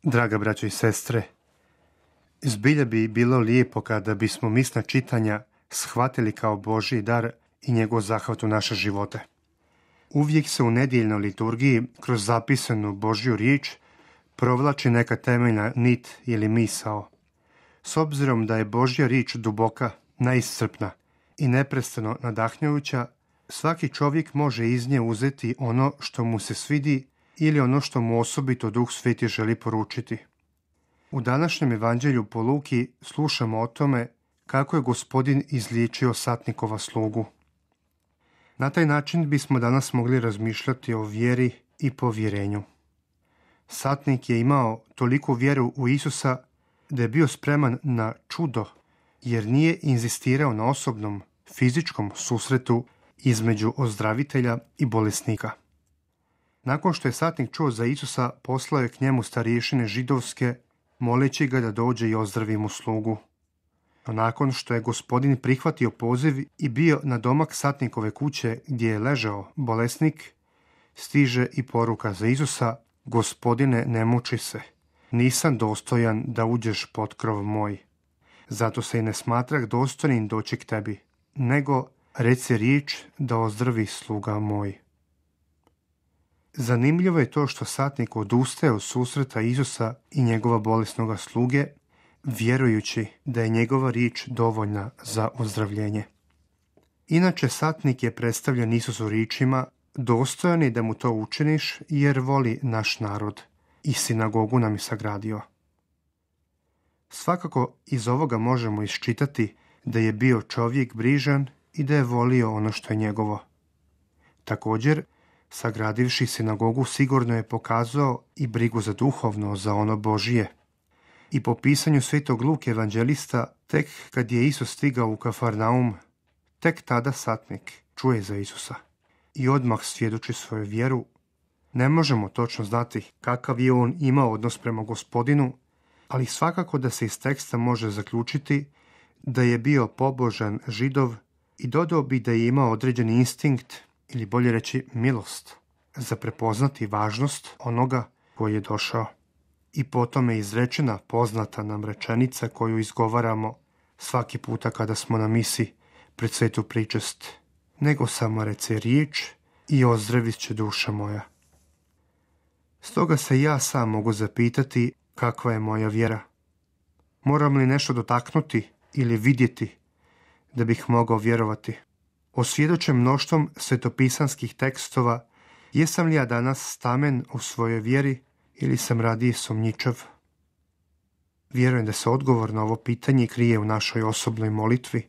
Draga braćo i sestre, zbilja bi bilo lijepo kada bismo misna čitanja shvatili kao Božji dar i njegov zahvat u naše živote. Uvijek se u nedjeljnoj liturgiji kroz zapisanu Božju riječ provlači neka temeljna nit ili misao. S obzirom da je Božja riječ duboka, neiscrpna i neprestano nadahnjujuća, svaki čovjek može iz nje uzeti ono što mu se svidi ili ono što mu osobito Duh Sveti želi poručiti. U današnjem evanđelju po Luki slušamo o tome kako je Gospodin izliječio satnikova slugu. Na taj način bismo danas mogli razmišljati o vjeri i povjerenju. Satnik je imao toliku vjeru u Isusa da je bio spreman na čudo, jer nije inzistirao na osobnom, fizičkom susretu između ozdravitelja i bolesnika. Nakon što je satnik čuo za Isusa, poslao je k njemu starješine židovske, moleći ga da dođe i ozdravi mu slugu. No nakon što je Gospodin prihvatio poziv i bio na domak satnikove kuće gdje je ležao bolesnik, stiže i poruka za Isusa: Gospodine, ne muči se, nisam dostojan da uđeš pod krov moj. Zato se i ne smatrah dostojnim doći k tebi, nego reci riječ da ozdravi sluga moj. Zanimljivo je to što satnik odustaje od susreta Isusa i njegova bolesnoga sluge, vjerujući da je njegova riječ dovoljna za ozdravljenje. Inače, satnik je predstavljen Isusu riječima: dostojan je da mu to učiniš, jer voli naš narod i sinagogu nam je sagradio. Svakako iz ovoga možemo iščitati da je bio čovjek brižan i da je volio ono što je njegovo. Također, sagradivši sinagogu, sigurno je pokazao i brigu za duhovno, za ono Božije. I po pisanju svetog Luke evanđelista, tek kad je Isus stigao u Kafarnaum, tek tada satnik čuje za Isusa i odmah svjedoči svoju vjeru. Ne možemo točno znati kakav je on imao odnos prema Gospodinu, ali svakako da se iz teksta može zaključiti da je bio pobožan Židov i dodao bi da je imao određeni instinkt, ili bolje reći milost, za prepoznati važnost onoga koji je došao. I potom je izrečena poznata nam rečenica koju izgovaramo svaki puta kada smo na misi pred svetu pričest: nego samo reci riječ i ozdravit će duša moja. Stoga se ja sam mogu zapitati kakva je moja vjera. Moram li nešto dotaknuti ili vidjeti da bih mogao vjerovati? Osvjedočen mnoštvom svetopisanskih tekstova, jesam li ja danas stamen u svojoj vjeri ili sam radije sumnjičav? Vjerujem da se odgovor na ovo pitanje krije u našoj osobnoj molitvi,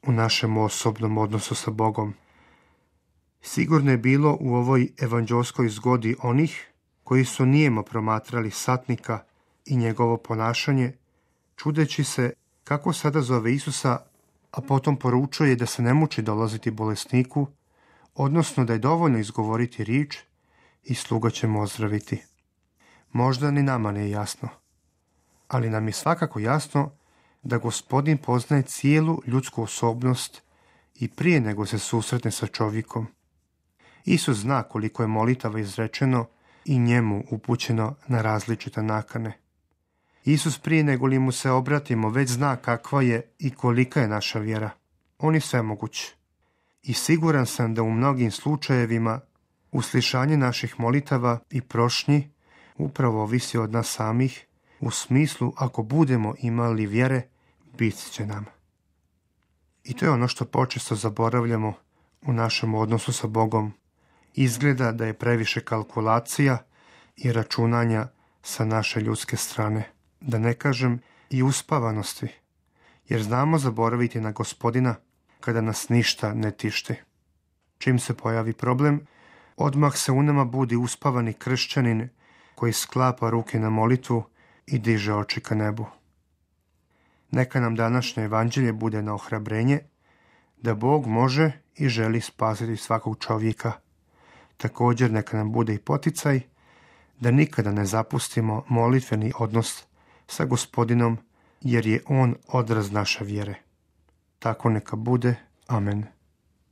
u našem osobnom odnosu sa Bogom. Sigurno je bilo u ovoj evanđelskoj zgodi onih koji su nijemo promatrali satnika i njegovo ponašanje, čudeći se kako sada zove Isusa, a potom poručuje da se ne muči dolaziti bolesniku, odnosno da je dovoljno izgovoriti riječ i sluga će mu ozdraviti. Možda ni nama nije jasno, ali nam je svakako jasno da Gospodin poznaje cijelu ljudsku osobnost i prije nego se susretne sa čovjekom. Isus zna koliko je molitava izrečeno i njemu upućeno na različite nakane. Isus prije nego li mu se obratimo već zna kakva je i kolika je naša vjera. On je svemoguć. I siguran sam da u mnogim slučajevima uslišanje naših molitava i prošnji upravo ovisi od nas samih, u smislu ako budemo imali vjere, bit će nam. I to je ono što počesto zaboravljamo u našem odnosu sa Bogom. Izgleda da je previše kalkulacija i računanja sa naše ljudske strane, da ne kažem i uspavanosti, jer znamo zaboraviti na Gospodina kada nas ništa ne tišti. Čim se pojavi problem, odmah se u nama budi uspavani kršćanin koji sklapa ruke na molitvu i diže oči ka nebu. Neka nam današnje evanđelje bude na ohrabrenje da Bog može i želi spasiti svakog čovjeka. Također neka nam bude i poticaj da nikada ne zapustimo molitveni odnos sa Gospodinom, jer je On odraz naše vjere. Tako neka bude. Amen.